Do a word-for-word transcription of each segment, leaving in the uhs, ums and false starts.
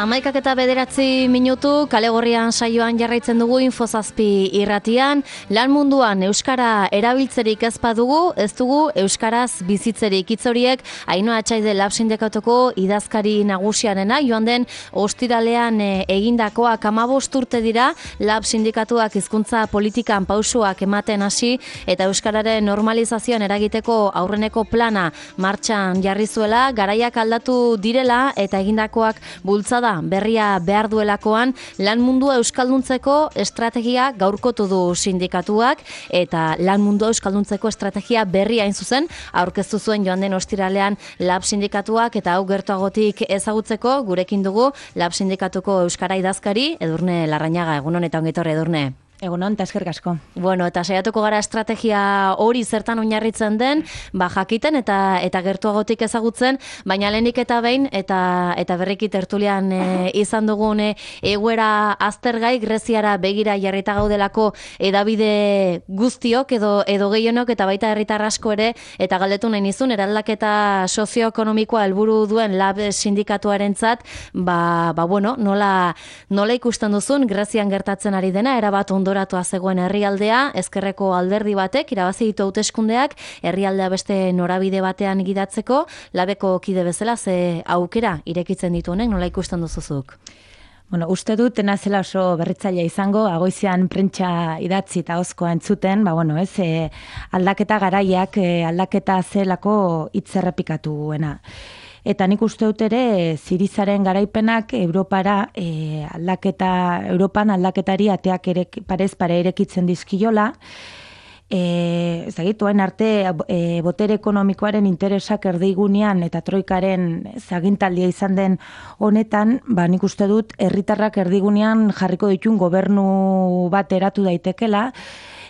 Hamaikak eta bederatzi minutu, kale gorrian saioan jarraitzen dugu Infozazpi irratian. Lan munduan euskara erabiltzerik ez badugu, ez dugu euskaraz bizitzerik. Hitz horiek Ainhoa Atxaide Lab Sindikatuko idazkari nagusiarena, joan den ostiralean e, egindakoak hamabost urte dira, Lab Sindikatuak hizkuntza politikan pausuak ematen hasi eta euskararen normalizazioan eragiteko aurreneko plana martxan jarri zuela, garaiak aldatu direla eta egindakoak bultzada berria behar duelakoan lan mundua euskalduntzeko estrategia gaurkotu du sindikatuak eta lan mundua euskalduntzeko estrategia berria hain zuzen aurkeztu zuen joan den ostiralean Lab Sindikatuak eta hau gertuagotik ezagutzeko gurekin dugu Lab Sindikatuko euskara idazkari Edurne Larrañaga. Egunon eta ongi etorri, Edurne. Egunon, eta eskerrik asko. Bueno, eta saiatuko gara estrategia hori zertan oinarritzen den, ba jakiten eta eta gertuagotik ezagutzen, baina lehenik eta behin eta eta berriki tertulian e, izan dugun e, egoera aztergai Greziara begira jarrita gaudelako hedabide guztiok edo edo gehienok eta baita herritar asko ere eta galdetu nahi nizun eraldaketa sozioekonomikoa helburu duen Lab Sindikatuarentzat, ba ba bueno, nola nola ikusten duzun Grezian gertatzen ari dena erabat ondo doratua zegoen herrialdea, ezkerreko alderdi batek irabazi ditu hauteskundeak, herrialdea beste norabide batean gidatzeko, Labeko kide bezala ze aukera irekitzen ditu honek, nola ikusten duzuzuk? Bueno, uste dut nazela oso berritzailea izango, agoizean prentsa idatzi eta hozkoa entzuten, ba bueno, ez, e, aldaketa garaiak, e, aldaketa zelako hitz errepikatuena. Eta nik uste dut ere, Zirizaren garaipenak Europara e, aldaketa, Europan aldaketari ateak ere, parez pare irekitzen dizkiola. E, ez dakit, oain arte e, botere ekonomikoaren interesak erdigunean eta troikaren zagintaldia izan den honetan, ba nik uste dut herritarrak erdigunean jarriko ditun gobernu bat eratu daitekela,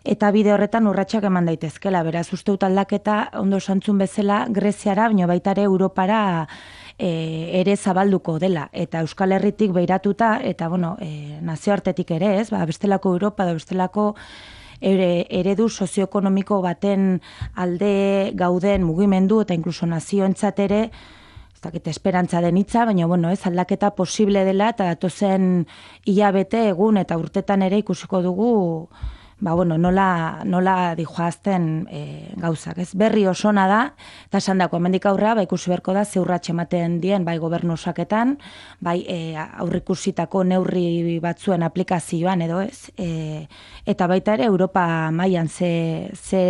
eta bide horretan urratsak eman daitezkela. Beraz, uste dut aldaketa ondo santzun bezala Greziara, baina baita ere Europara e, ere zabalduko dela. Eta Euskal Herritik beiratuta, eta bueno, e, nazioartetik ere ez, ba, bestelako Europa da bestelako ere, eredu sozioekonomiko baten alde gauden mugimendu eta inkluso nazioentzat ere, ez dakit esperantza den hitza, baina bueno, ez aldaketa posible dela eta datozen hilabete egun eta urtetan ere ikusiko dugu ba, bueno, nola, nola dijoazten e, gauzak. Ez berri osona da, eta esan dako, hemendik aurrea, ba, ikusi beharko da, zeurratxe ematen dien, bai gobernu osaketan, bai e, aurrikusitako neurri batzuen aplikazioan edo ez, e, eta baita ere Europa mailan ze, ze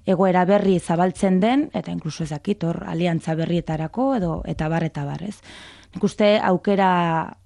egoera berri zabaltzen den, eta inkluso ezakit, hor, aliantza berrietarako, edo, eta bar, eta bar, ez. Nik uste aukera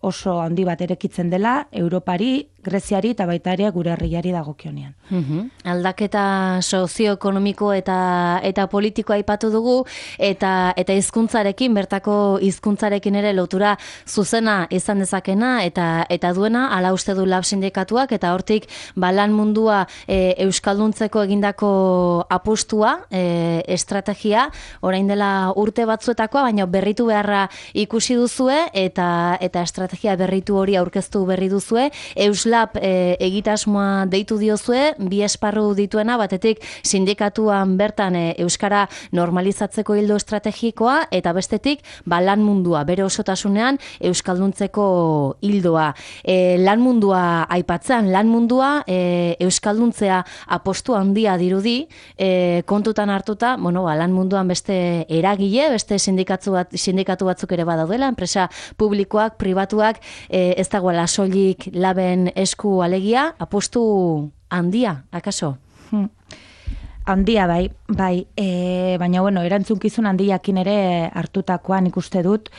oso handi bat erekitzen dela, Europari, Greziari eta baita ere gure herriari dagokionean. Uhum. Aldaketa sozioekonomiko eta eta politikoa aipatu dugu eta eta hizkuntzarekin bertako hizkuntzarekin ere lotura zuzena izan dezakena eta eta duena hala uste du Lab Sindikatuak eta hortik ba lan mundua e, euskalduntzeko egindako apustua, e, estrategia orain dela urte batzuetakoa, baina berritu beharra ikusi duzue eta eta estrategia berritu hori aurkeztu berri duzue. Euslab e, egitasmoa deitu diozue, bi esparru dituena, batetik sindikatuan bertan e, euskara normalizatzeko hildo estrategikoa eta bestetik ba, lan mundua, bere osotasunean euskalduntzeko hildoa. E, lan mundua aipatzean, lan mundua e, euskalduntzea apostu handia dirudi, e, kontutan hartuta, bueno, ba, lan munduan beste eragile, beste sindikatu, bat, sindikatu batzuk ere badaudela, enpresa publikoak, pribatuak, e, ez dagoela soilik Laben esku alegia, apostu handia, akaso? Hmm. Handia bai, bai, e, baina bueno, erantzunkizun handiakin ere hartutakoan ikuste dut,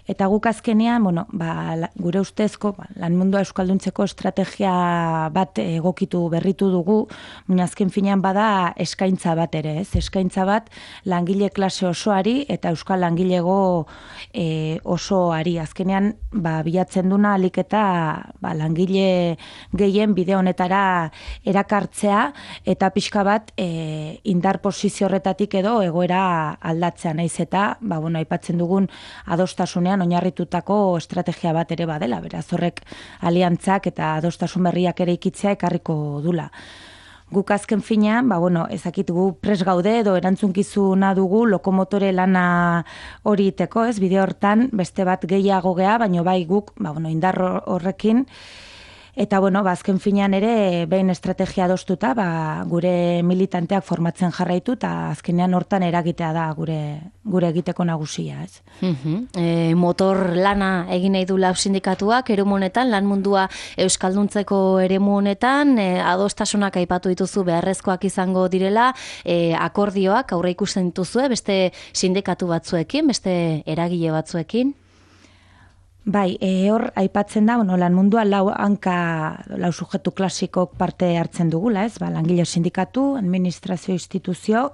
eta guk azkenean, bueno, ba, la, gure ustezko, ba, lan mundua euskalduntzeko estrategia bat egokitu berritu dugu, baina azken finean bada eskaintza bat ere, ez? Eskaintza bat langile klase osoari eta euskal langilego e, osoari. Azkenean, ba, bilatzen duna alik eta ba, langile gehien bide honetara erakartzea eta pixka bat e, indar posizio horretatik edo egoera aldatzea naiz eta, ba, bueno, aipatzen dugun adostasunean oinarritutako estrategia bat ere badela, beraz horrek aliantzak eta adostasun berriak ere ikitzea ekarriko dula. guk azken finean, ba, bueno, ezakit gu pres gaude edo erantzunkizuna dugu lokomotore lana hori iteko, ez, bide hortan beste bat gehiago gea, baino bai guk, ba, bueno, indar horrekin, eta, bueno, ba, azken finean ere, behin estrategia adostuta, ba, gure militanteak formatzen jarraitu, eta azkenean hortan eragitea da gure, gure egiteko nagusia, ez. Uhum. E, motor lana egin nahi du lab sindikatuak, eremu honetan, lan mundua euskalduntzeko eremu honetan, e, adostasunak aipatu dituzu beharrezkoak izango direla, e, akordioak aurre ikusten dituzue, beste sindikatu batzuekin, beste eragile batzuekin? Bai, e, hor aipatzen da, bueno, lan mundua lau hanka, lau sujetu klasikok parte hartzen dugula, ez? Ba, langile sindikatu, administrazio instituzio,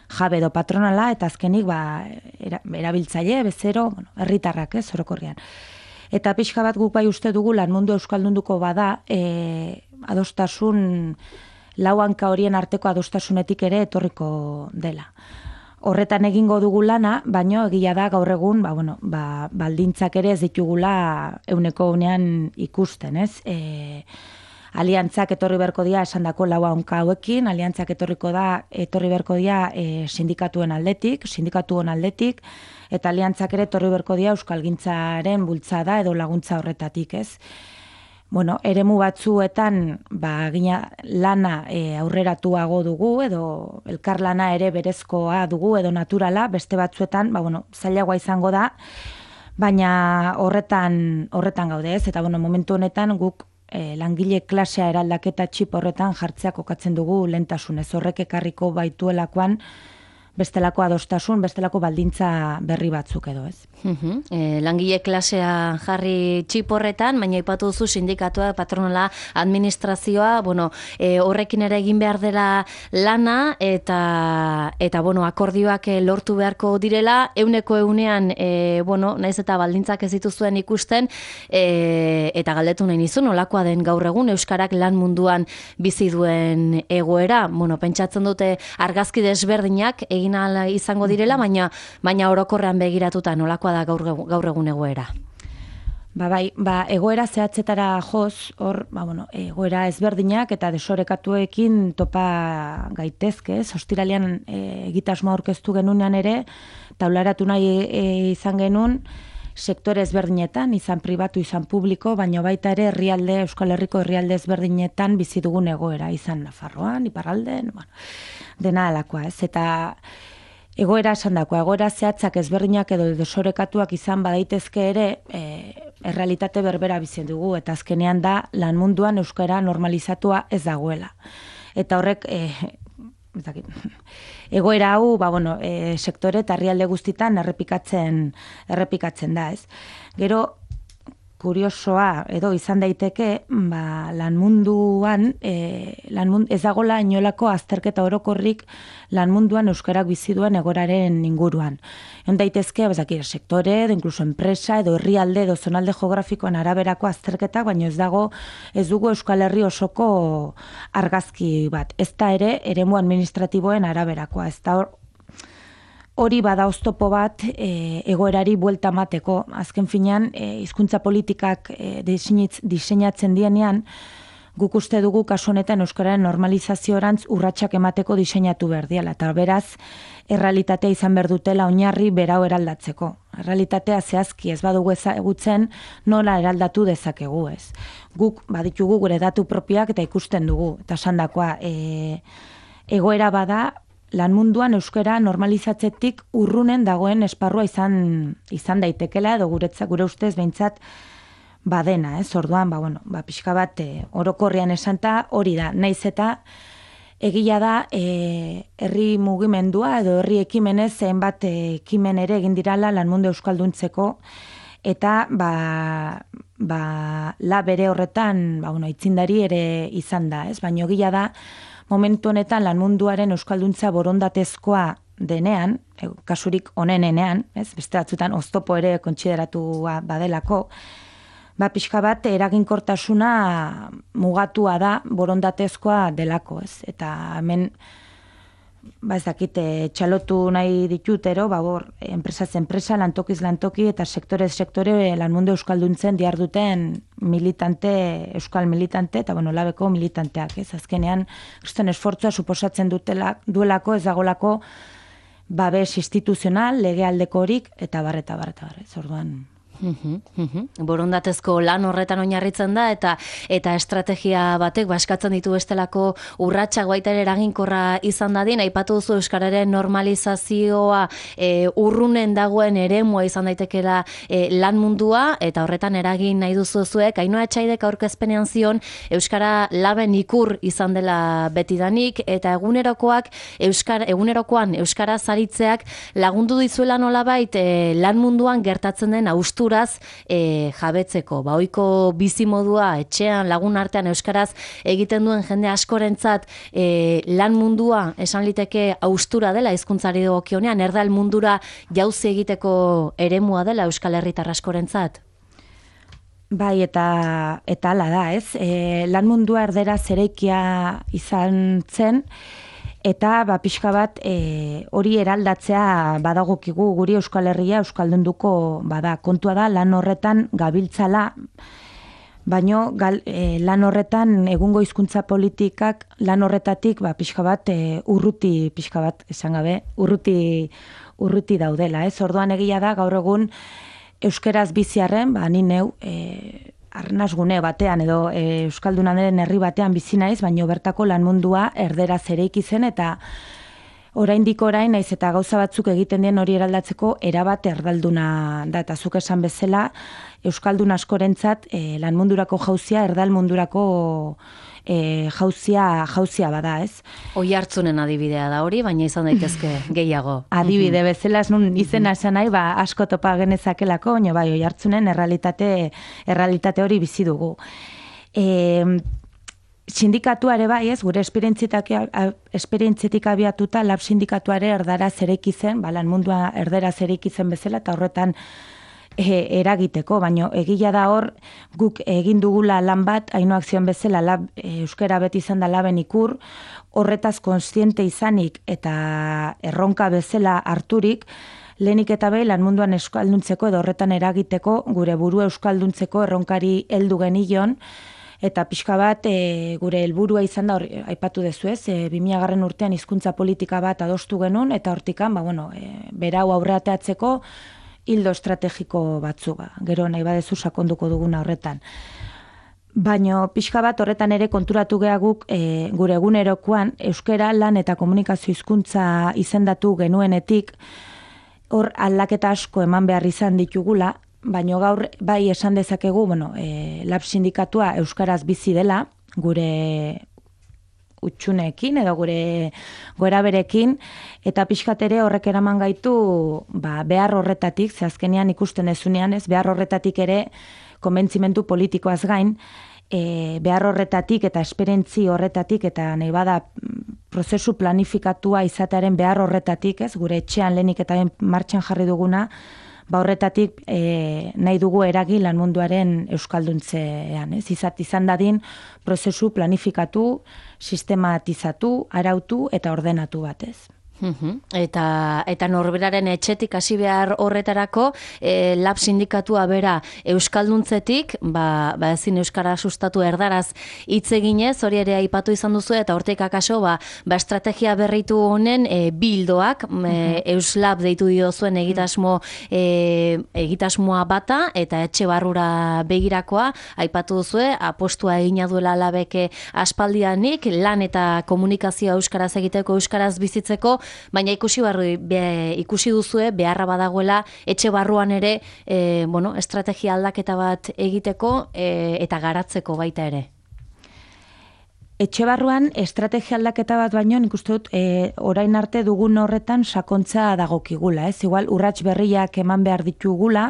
jabe edo patronala, eta azkenik, ba, era, erabiltzaile, bezero, bueno, herritarrak, ez, orokorrean. Eta pixka bat guk bai uste dugu lan mundu euskaldunduko bada, e, adostasun, lau hanka horien arteko adostasunetik ere etorriko dela. Horretan egingo dugu lana, baino egia da gaur egun, ba, bueno, ba, baldintzak ere ez ditugula euneko unean ikusten, ez? E, aliantzak etorri beharko dira esandako lau hanka hauekin, aliantzak etorriko da etorri beharko dira e, sindikatuen aldetik, sindikatuen aldetik, eta aliantzak ere etorri beharko dira euskalgintzaren bultzada edo laguntza horretatik, ez? Bueno, eremu batzuetan ba, gina lana e, aurreratuago dugu edo elkarlana ere berezkoa dugu edo naturala, beste batzuetan ba, bueno, zailagoa izango da, baina horretan horretan gaude, ez? Eta bueno, momentu honetan guk e, langile klasea eraldaketa txip horretan jartzea kokatzen dugu lehentasunez. Horrek ekarriko baituelakoan bestelako adostasun, bestelako baldintza berri batzuk edo, ez. Uhum. E, langile klasea jarri txip horretan, baina aipatu duzu sindikatua, patronala, administrazioa, bueno, e, horrekin ere egin behar dela lana, eta, eta bueno, akordioak lortu beharko direla, euneko eunean, e, bueno, naiz eta baldintzak ez dituzuen ikusten, e, eta galdetu nahi nizu, nolakoa den gaur egun, euskarak lan munduan bizi duen egoera, bueno, pentsatzen dute argazki desberdinak egin ala izango direla, baina baina orokorrean begiratuta nolakoa da gaur, gaur egun egoera. Ba bai, ba egoera zehatzetara joz, hor, ba bueno, egoera ezberdinak eta desorekatuekin topa gaitezke, ez? Ostiralean e, egitasmoa aurkeztu genunean ere, taularatu nahi e, izan genuen sektore ezberdinetan, izan pribatu, izan publiko, baina baita ere herrialde, Euskal Herriko herrialde ezberdinetan bizi dugun egoera, izan Nafarroan, Iparralden, bueno, dena alakoa, ez? Eta egoera esandakoa, egoera zehatzak ezberdinak edo desorekatuak izan badaitezke ere, e, errealitate berbera bizi dugu, eta azkenean da lan munduan euskara normalizatua ez dagoela. Eta horrek e, egoera hau, ba, bueno, e, sektore eta herrialde guztitan errepikatzen, errepikatzen da, ez. Gero, kuriosoa edo izan daiteke, ba, lan munduan, e, lan mund, ez dagoela inolako azterketa orokorrik lan munduan euskarak bizi duen egoraren inguruan. Egon daitezke, bezakira, sektore, edo inkluso enpresa, edo herrialde, edo zonalde geografikoan araberako azterketak, baina ez dago, ez dugu Euskal Herri osoko argazki bat. Ez da ere, eremu administratiboen araberakoa, ez da hor, hori bada oztopo bat e, egoerari buelta mateko. Azken finean, e, hizkuntza politikak e, diseinatzen dienean, guk uste dugu kasu honetan euskararen normalizaziorantz urratsak emateko diseinatu behar diala. Eta beraz, errealitatea izan behar dutela oinarri berau eraldatzeko. Errealitatea zehazki ez badugu ezagutzen nola eraldatu dezakegu, ez. Guk baditugu gure datu propioak eta ikusten dugu. Eta esandakoa, e, egoera bada, lan munduan euskara normalizatzetik urrunen dagoen esparrua izan izan daitekela edo guretzat gure ustez behintzat badena, ez? Orduan, ba bueno, ba pixka bat e, orokorrean esanta hori da. Naiz eta egia da e, herri mugimendua edo herri ekimenez zenbat ekimen ere egin dirala lan mundu euskalduntzeko eta ba ba la bere horretan, ba bueno, aitzindari ere izan da, ez? Baina egia da momentu honetan lan munduaren euskalduntza borondatezkoa denean, e, kasurik onenenean, ez? Beste batzutan oztopo ere kontsideratua badelako, ba pixka bat eraginkortasuna mugatua da borondatezkoa delako, ez? Eta hemen ba ez dakite, txalotu nahi ditutero, ba bor, enpresaz enpresa, lantokiz lantoki eta sektorez sektore lan mundu euskalduntzen diar duten militante, euskal militante, eta bueno, labeko militanteak, ez azkenean, kristen esfortzua suposatzen dutela, duelako, ez dagolako, babes instituzional, legealdeko horik, eta bar, eta bar, eta bar, ez orduan... Borondatezko lan horretan oinarritzen da eta eta estrategia batek baskatzen ditu bestelako urratsak baita ere eraginkorra izan dadin. Aipatu duzu euskararen normalizazioa e, urrunen dagoen eremua izan daitekeela e, lan mundua eta horretan eragin nahi duzu zuek. Ainhoa Etxaidek aurkezpenean zion euskara laben ikur izan dela betidanik eta egunerokoak euskara egunerokoan euskara zaritzeak lagundu dizuela nolabait e, lan munduan gertatzen den austur E, jabetzeko, ba ohiko bizimodua etxean lagun artean euskaraz egiten duen jende askorentzat e, lan mundua esan liteke austura dela hizkuntzari dagokionean, erdal mundura jauzi egiteko eremua dela euskal herritar askorentzat. Bai, eta eta hala da, ez? E, lan mundua erdera zereikia izan zen, eta ba, pixka bat e, hori eraldatzea badagokigu guri Euskal Herria euskaldunduko bada. Kontua da lan horretan gabiltzala, baino gal, e, lan horretan egungo hizkuntza politikak lan horretatik ba, pixka bat e, urruti, pixka bat esan gabe, urruti, urruti daudela. Ez? Orduan egia da gaur egun euskeraz biziarren, ba, ni neu, e, arnasgune batean edo e, euskaldunaren herri batean bizi naiz, baino bertako lan mundua erderaz ereiki zen eta oraindik orain naiz eta gauza batzuk egiten dien hori eraldatzeko erabat erdalduna da eta zuk esan bezala euskaldun askorentzat e, lan mundurako jauzia erdal mundurako e, jauzia jauzia bada, ez? Oihartzunen adibidea da hori, baina izan daitezke gehiago. Adibide bezala nun izena esan nahi, ba asko topa genezakelako, baina bai Oihartzunen errealitate errealitate hori bizi dugu. E, sindikatua ere bai, ez, gure esperientzietik abiatuta lab sindikatuare erdaraz eraiki zen, ba lan mundua erderaz eraiki zen bezala eta horretan E, eragiteko, baina egia da hor guk egin dugula lan bat, Ainhoak zion bezala lab, e, euskara beti izan da laben ikur, horretaz kontziente izanik eta erronka bezala harturik, lehenik eta behin lan munduan euskalduntzeko edo horretan eragiteko gure buru euskalduntzeko erronkari heldu genion, eta pixka bat e, gure helburua izan da, hor, aipatu dezu ez, e, bi mila garren urtean hizkuntza politika bat adostu genuen, eta hortikan, ba, bueno, e, berau aurreateatzeko hildo estrategiko batzu, ba. Gero nahi badezu sakonduko duguna horretan. Baina pixka bat horretan ere konturatu gehaguk e, gure egunerokoan euskara lan eta komunikazio hizkuntza izendatu genuenetik hor aldaketa asko eman behar izan ditugula, baina gaur bai esan dezakegu, bueno, e, lab sindikatua euskaraz bizi dela, gure utxuneekin edo gure goeraberekin, eta pixkat ere horrek eraman gaitu ba, behar horretatik, ze azkenean ikusten ezunean, ez behar horretatik ere konbentzimentu politikoaz gain, e, behar horretatik eta esperentzi horretatik eta nahi bada prozesu planifikatua izatearen behar horretatik, ez gure etxean lehenik eta martxan jarri duguna, ba horretatik e, nahi dugu eragi lan munduaren euskalduntzean, ez? Izat izan dadin prozesu planifikatu, sistematizatu, arautu eta ordenatu batez. Eta, eta norberaren etxetik hasi behar horretarako e, lab sindikatua bera euskalduntzetik, ba, ba ezin euskara sustatu erdaraz hitz eginez, hori ere aipatu izan duzu eta hortik akaso ba, ba estrategia berritu honen e, bildoak e, euslab deitu dio zuen egitasmo e, egitasmoa bata eta etxe barrura begirakoa aipatu duzue, apostua egina duela labeke aspaldianik lan eta komunikazioa euskaraz egiteko, euskaraz bizitzeko, baina ikusi barru, be, ikusi duzue beharra badagoela etxe barruan ere e, bueno, estrategia aldaketa bat egiteko e, eta garatzeko baita ere. Etxe barruan estrategia aldaketa bat baino nik uste dut e, orain arte dugun horretan sakontza dagokigula, ez? Igual urrats berriak eman behar ditugula,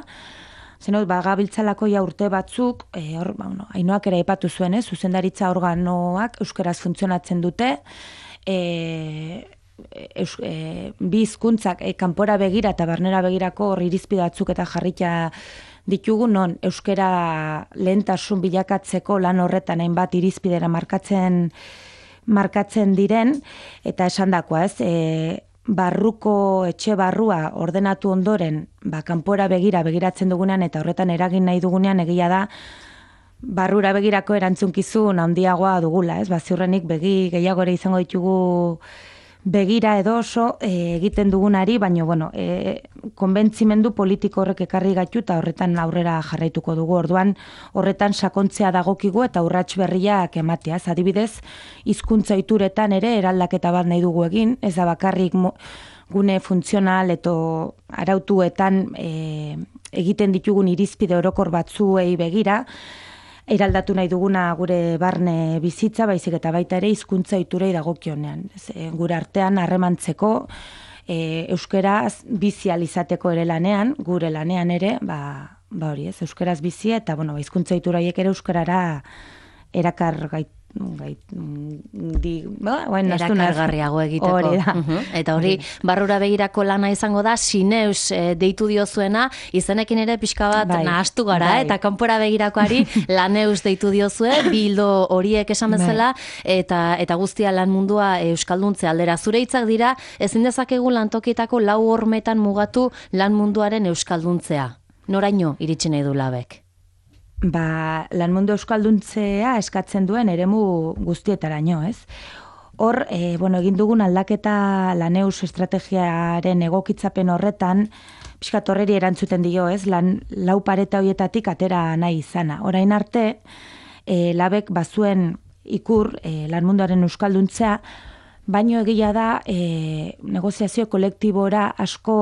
zenot, ba, gabiltzalako ja urte batzuk, e, hor, ba, no, Ainhoak ere aipatu zuen, ez? Zuzendaritza organoak euskaraz funtzionatzen dute, e, Eus, e, bi hizkuntzak e, kanpora begira eta barnera begirako hor irizpide batzuk eta jarrita ditugu non euskara lehentasun bilakatzeko lan horretan hainbat irizpidera markatzen markatzen diren, eta esandakoa, ez, e, barruko etxe barrua ordenatu ondoren, ba, kanpora begira begiratzen dugunean eta horretan eragin nahi dugunean egia da barrura begirako erantzunkizun handiagoa dugula, ez? Ba, ziurrenik begi gehiago ere izango ditugu begira edo oso e, egiten dugunari, baina bueno, e, konbentzimendu politiko horrek ekarri gaitu eta horretan aurrera jarraituko dugu. Orduan horretan sakontzea dagokigu eta urrats berriak ematea. Ez, adibidez, hizkuntza ohituretan ere eraldaketa bat nahi dugu egin, ez da bakarrik gune funtzional eta arautuetan e, egiten ditugun irizpide orokor batzuei begira, eraldatu nahi duguna gure barne bizitza, baizik eta baita ere hizkuntza ohiturei dagokionean. E, gure artean harremantzeko, e, euskaraz bizi ahal izateko ere lanean, gure lanean ere, ba, ba hori, ez, euskaraz bizi eta bueno, ba, hizkuntza ohitura horiek ere euskarara erakar gait Gait, di, ba, bueno, erakargarriago egiteko. Hori da. Uh-huh. Eta hori, barrura begirako lana izango da, sineus e, deitu diozuena, izenekin ere pixka bat bai, nahastu gara, bai. Eta kanpora begirakoari laneus deitu diozue, bildo horiek esan bezala, bai. eta, eta guztia lan mundua euskalduntze aldera. Zure hitzak dira, ezin dezakegu lantokitako lau hormetan mugatu lan munduaren euskalduntzea. Noraino iritsi nahi du labek? Ba, lan mundu euskalduntzea eskatzen duen eremu guztietaraino, ez? Hor, e, bueno, egin dugun aldaketa laneus estrategiaren egokitzapen horretan, pixkat horreri erantzuten dio, ez? Lan, lau pareta horietatik atera nahi izana. Orain arte, e, labek bazuen ikur e, lan munduaren euskalduntzea, baino egia da e, negoziazio kolektibora asko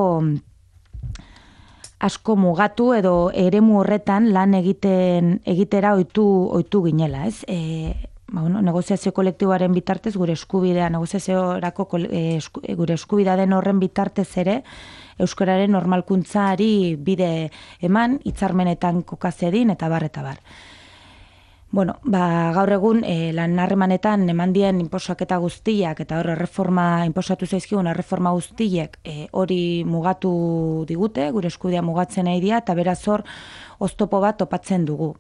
asko mugatu edo eremu horretan lan egiten egitera ohitu ohitu ginela, ez? E, ba, bueno, negoziazio kolektiboaren bitartez gure eskubidea negoziaziorako e, esku, gure eskubidea den horren bitartez ere euskararen normalkuntzari bide eman, hitzarmenetan kokazedin eta bar eta bar. Bueno, ba, gaur egun e, lan harremanetan eman dien inposaketa guztiak eta hor erreforma inposatu zaizkigun erreforma guztiek e, hori mugatu digute, gure eskubidea mugatzen nahi dira eta beraz hor oztopo bat topatzen dugu.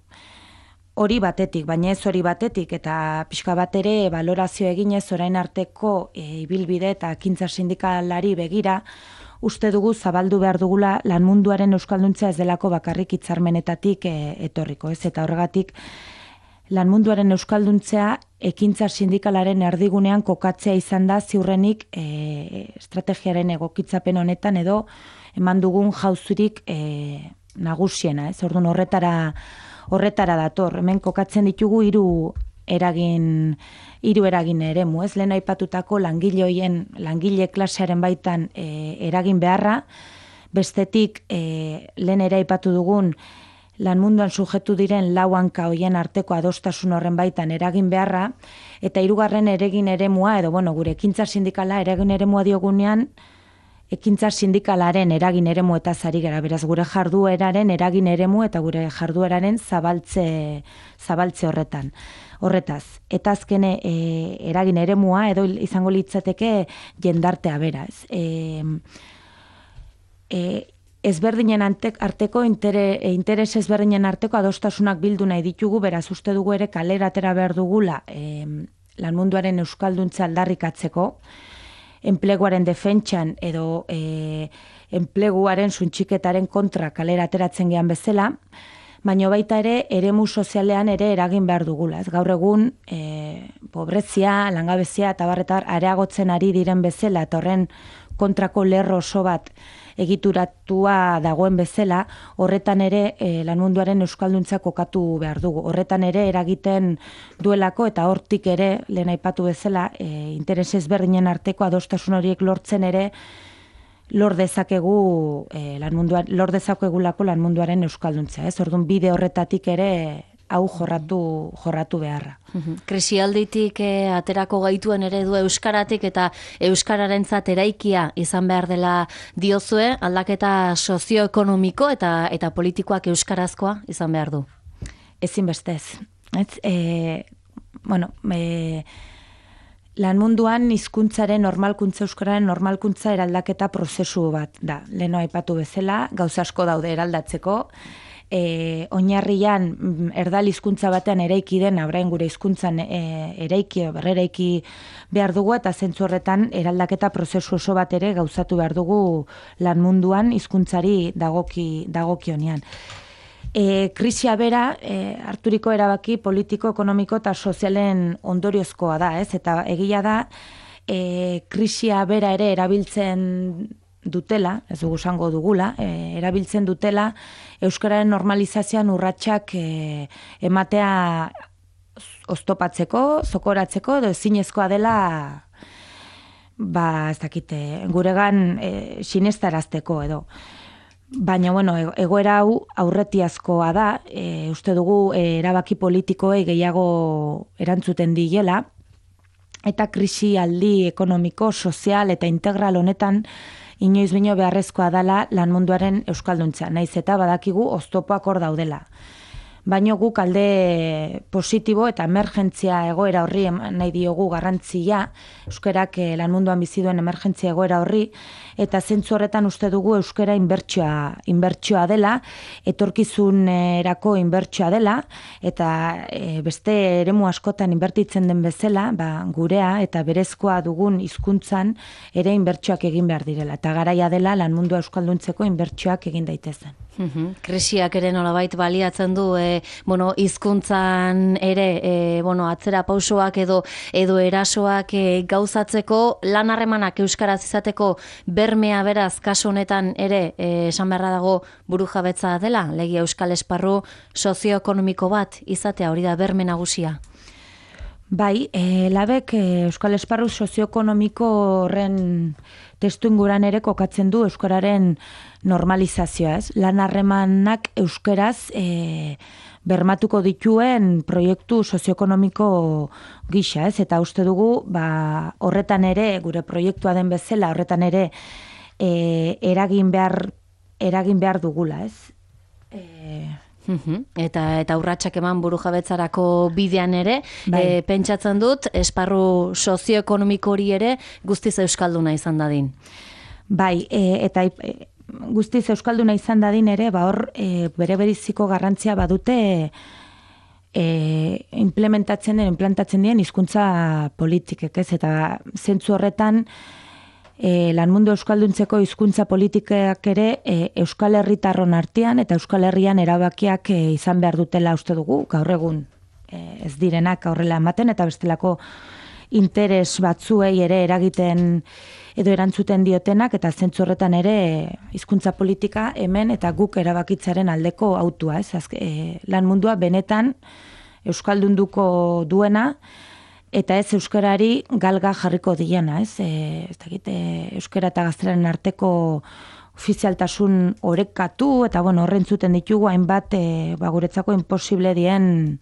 Hori batetik, baina ez hori batetik eta pixka bat ere balorazio eginez orain arteko e, ibilbide eta ekintza sindikalari begira uste dugu zabaldu behar dugula lan munduaren euskalduntzea ez delako bakarrik hitzarmenetatik e, etorriko, ez? Eta horregatik lan munduaren euskalduntzea ekintza sindikalaren erdigunean kokatzea izan da ziurrenik e, estrategiaren egokitzapen honetan edo eman dugun jauzurik e, nagusiena, ez? Orduan horretara horretara dator. Hemen kokatzen ditugu hiru eragin hiru eragin eremu, ez? Lehen aipatutako langile hoien langile klasearen baitan e, eragin beharra, bestetik e, lehen ere aipatu dugun lan munduan sujetu diren lau hanka hoien arteko adostasun horren baitan eragin beharra, eta hirugarren eragin eremua, edo bueno, gure ekintza sindikala eragin eremua diogunean, ekintza sindikalaren eragin eremu eta zari gara, beraz gure jardueraren eragin eremu eta gure jardueraren zabaltze, zabaltze horretan. Horretaz, eta azkene e, eragin eremua, edo izango litzateke jendartea beraz. E, e, ezberdinen arteko, intere, interes ezberdinen arteko adostasunak bildu nahi ditugu, beraz uste dugu ere kalera atera behar dugula e, lan munduaren euskalduntza aldarrikatzeko, enpleguaren defentsan edo e, enpleguaren suntxiketaren kontra kalera ateratzen gehan bezala, baina baita ere eremu sozialean ere eragin behar dugula. Ez gaur egun e, pobrezia, langabezia eta barretar areagotzen ari diren bezala eta horren kontrako lerro oso bat egituratua dagoen bezala, horretan ere e, lan munduaren euskalduntza kokatu behar dugu. Horretan ere eragiten duelako eta hortik ere, lehen aipatu bezala, e, interes ezberdinen arteko adostasun horiek lortzen ere lor dezakegu e, lan munduan, lor dezakegulako lan munduaren euskalduntza, ez? Orduan bide horretatik ere hau jorratu jorratu beharra. Krisialditik eh, aterako gaituen eredu euskaratik eta euskararentzat eraikia izan behar dela diozue, aldaketa sozioekonomiko eta eta politikoak euskarazkoa izan behar du. Ezinbestez. Ez, e, bueno, e, lan munduan hizkuntzaren normalkuntza euskararen normalkuntza eraldaketa prozesu bat da. Leno aipatu bezala, gauza asko daude eraldatzeko, e, oinarrian erdal hizkuntza batean eraiki den, orain gure hizkuntzan e, eraiki, berreraiki behar dugu, eta zentzu horretan eraldaketa prozesu oso bat ere gauzatu behar dugu lan munduan hizkuntzari dagoki, dagokionean. E, krisia bera, e, harturiko erabaki politiko, ekonomiko eta sozialen ondoriozkoa da, ez? Eta egia da, e, krisia bera ere erabiltzen dutela, ez dugu esango dugula, e, erabiltzen dutela euskararen normalizazioan urratsak e, ematea oztopatzeko, zokoratzeko, edo ezinezkoa dela, ba, ez dakite, guregan e, sinestarazteko edo. Baina, bueno, egoera hau aurretiazkoa da, e, uste dugu e, erabaki politikoei gehiago erantzuten diela, eta krisi aldi ekonomiko, sozial eta integral honetan inoiz bino beharrezkoa dela lan munduaren euskalduntza, naiz eta badakigu oztopoak hor daudela. Baino guk alde positibo eta emergentzia egoera horri nahi diogu garrantzia, euskarak lan munduan bizi duen emergentzia egoera horri, eta zentzu horretan uste dugu euskara inbertsioa, inbertsioa dela, etorkizunerako inbertsioa dela, eta e, beste eremu askotan inbertitzen den bezala, ba, gurea eta berezkoa dugun hizkuntzan ere inbertsioak egin behar direla, eta garaia dela lan mundua euskalduntzeko inbertsioak egin daitezen. Uhum. Krisiak ere nolabait baliatzen du e, bueno, hizkuntzan ere e, bueno, atzera pausoak edo edo erasoak e, gauzatzeko lan harremanak euskaraz izateko bermea beraz kasu honetan ere e, esan beharra dago burujabetza dela, legi euskal esparru sozioekonomiko bat izatea, hori da berme nagusia. Bai, e, labek e, euskal esparru sozioekonomiko horren testu inguran ere kokatzen du euskararen normalizazioa, ez? Lan harremanak euskaraz e, bermatuko dituen proiektu sozioekonomiko gisa, ez? Eta uste dugu, ba, horretan ere, gure proiektua den bezala, horretan ere e, eragin behar, eragin behar dugula, ez? E, Eta eta urratsak eman burujabetzarako bidean ere, bai. e, pentsatzen dut esparru sozioekonomiko hori ere guztiz euskalduna izan dadin. Bai, e, eta e, guztiz euskalduna izan dadin ere, ba hor e, bere beriziko garrantzia badute e, implementatzen den, implantatzen dien hizkuntza politikek, ez? Eta zentzu horretan E, lan mundu euskalduntzeko hizkuntza politikak ere e, Euskal Herritarron artean eta Euskal Herrian erabakiak e, izan behar dutela uste dugu, gaur egun e, ez direnak aurrela ematen eta bestelako interes batzuei ere eragiten edo erantzuten diotenak, eta zentzu horretan ere hizkuntza politika hemen eta guk erabakitzaren aldeko autua, ez? Azke, e, lan mundua benetan euskaldunduko duena, eta ez euskarari galga jarriko diena, ez? E, ez dakit, e, euskara eta gaztelaren arteko ofizialtasun orekatu, eta bueno, horren zuten ditugu hainbat e, ba, guretzako imposible dien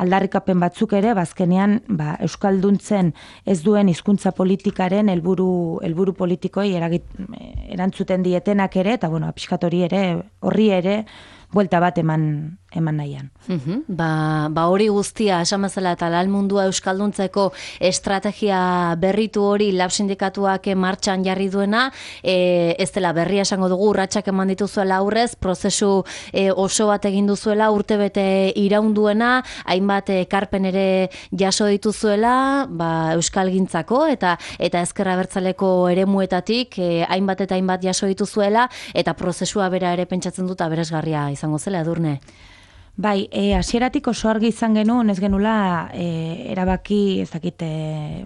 aldarrikapen batzuk ere, bazkenean ba, euskalduntzen ez duen hizkuntza politikaren helburu helburu politikoi eragit, erantzuten dietenak ere, eta bueno, pixkatori ere, horri ere, buelta bat eman eman nahian. Uhum, ba, ba hori guztia, esan bezala eta lan mundua euskalduntzeko estrategia berritu hori lab sindikatuak martxan jarri duena, e, ez dela berria esango dugu, urratsak eman dituzuela aurrez, prozesu e, oso bat egin duzuela, urtebete iraunduena, hainbat ekarpen ere jaso dituzuela, ba, euskalgintzako eta eta ezker abertzaleko eremuetatik e, hainbat eta hainbat jaso dituzuela, eta prozesua bera ere pentsatzen dut aberesgarria izango zela, Edurne. Bai, e, hasieratik oso argi izan genuen, ez genula e, erabaki, ez dakit, e,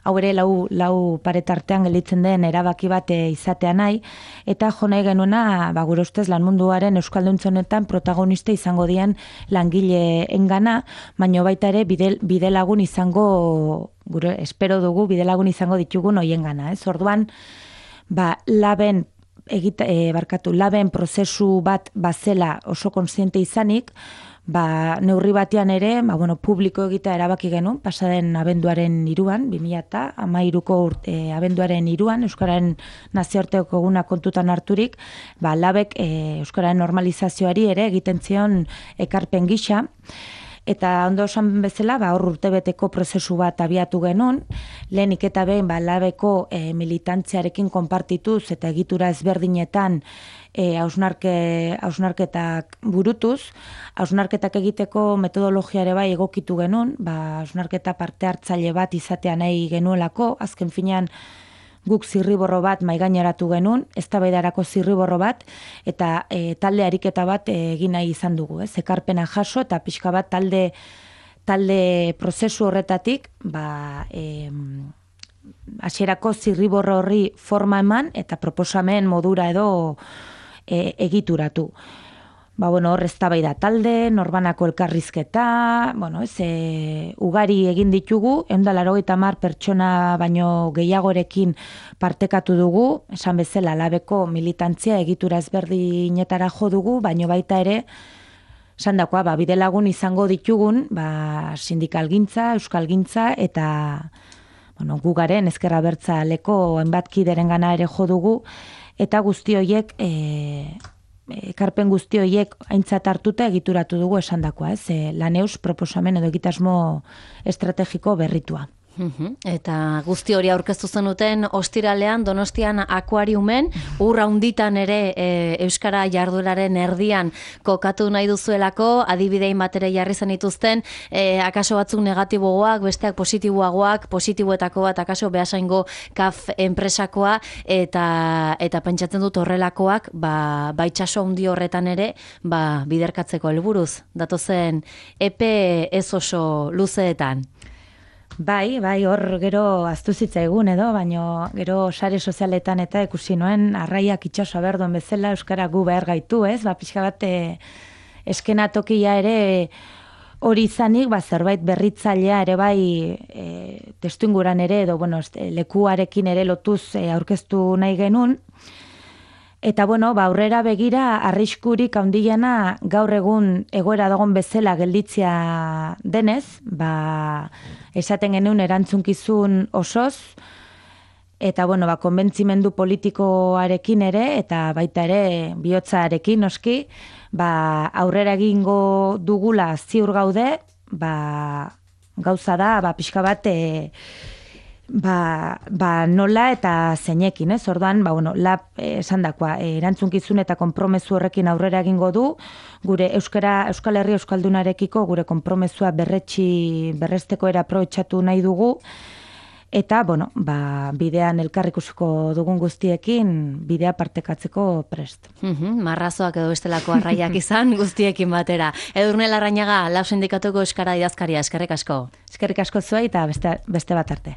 hau ere lau, lau paretartean gelditzen den erabaki bat izatea nahi, eta jo nahi genuena, ba, gure ustez lan munduaren euskalduntzen honetan protagonista izango dien langile engana, baino baita ere bide, bide lagun izango, gure espero dugu bide lagun izango ditugun hoien gana, ez? Orduan, ba, laben Egita, e, barkatu, laben prozesu bat bazela oso kontziente izanik, ba, neurri batean ere, ba, bueno, publiko egita erabaki genuen, pasaden abenduaren iruan, bi mila hamairuko urte, e, abenduaren iruan, Euskararen nazioarteko eguna kontutan harturik, ba, labek e, Euskararen normalizazioari ere egiten zion ekarpen gisa, eta ondo esan bezala, ba, hor urtebeteko prozesu bat abiatu genuen, lehenik eta behin ba, labeko e, militantziarekin konpartituz eta egitura ezberdinetan e, hausnarke, hausnarketak burutuz, hausnarketak egiteko metodologia ere bai egokitu genuen, ba, hausnarketa parte hartzaile bat izatea nahi genuelako, azken finean guk zirriborro bat maigaineratu genuen, eztabaidarako zirriborro bat, eta e, talde ariketa bat e, egin nahi izan dugu, ez? Ekarpena jaso eta pixka bat talde talde prozesu horretatik, ba, e, hasierako zirriborro horri forma eman eta proposamen modura edo e, egituratu. Ba, bueno, hor eztabaida talde, norbanako elkarrizketa, bueno, ez, e, ugari egin ditugu, ehun eta laurogeita hamar pertsona baino gehiagorekin partekatu dugu, esan bezala labeko militantzia egitura ezberdinetara jo dugu, baino baita ere, esan dakoa, ba, bide lagun izango ditugun, ba, sindikalgintza, euskalgintza, eta bueno, gu garen ezker abertzaleko hainbat kideren gana ere jo dugu, eta guzti horiek, e, ekarpen guzti horiek aintzat hartuta egituratu dugu esandakoa, ez? E, Laneus proposamen edo egitasmo estrategiko berritua. Eta guzti hori aurkeztu zenuten ostiralean Donostian akuariumen, urra hunditan ere e, Euskara jardueraren erdian kokatu nahi duzuelako, adibidein batere jarri zen dituzten, e, akaso batzuk negatiboagoak, besteak positiboagoak, positiboetako bat akaso behasaingo kaf enpresakoa, eta eta pentsatzen dut horrelakoak, ba, baitsaso handi horretan ere, ba, biderkatzeko helburuz, datozen epe ez oso luzeetan. Bai, bai, hor gero aztu zitzaigun edo, baino gero sare sozialetan eta ikusi noen arraiak itxaso berduen bezala Euskara gu behar gaitu, ez? Ba, pixka bat e, eskenatokia ere hori izanik, ba, zerbait berritzailea ere bai e, testuinguran ere, edo, bueno, lekuarekin ere lotuz e, aurkeztu nahi genuen. Eta, bueno, ba, aurrera begira, arriskurik handiena gaur egun egoera dagoen bezala gelditzea denez, ba, esaten genuen erantzunkizun osoz, eta, bueno, ba, konbentzimendu politikoarekin ere, eta baita ere bihotzarekin noski, ba, aurrera egingo dugula ziur gaude, ba, gauza da, ba, pixka bat, e, Ba, ba nola eta zeinekin, ez? Orduan, ba, bueno, lab esandakoa, eh, erantzunkizun eta konpromezu horrekin aurrera egingo du, gure Euskara, Euskal Herria Euskaldunarekiko gure konpromezua berretsi, berresteko era aprobetxatu nahi dugu, eta, bueno, ba, bidean elkarrikusiko dugun guztiekin, bidea partekatzeko prest. Uhum, marrazoak edo bestelako arraiak izan guztiekin batera. Edurne Larrañaga, Lab Sindikatuko Euskara idazkaria, eskerrik asko. Eskerrik asko zuei eta beste, beste bat arte.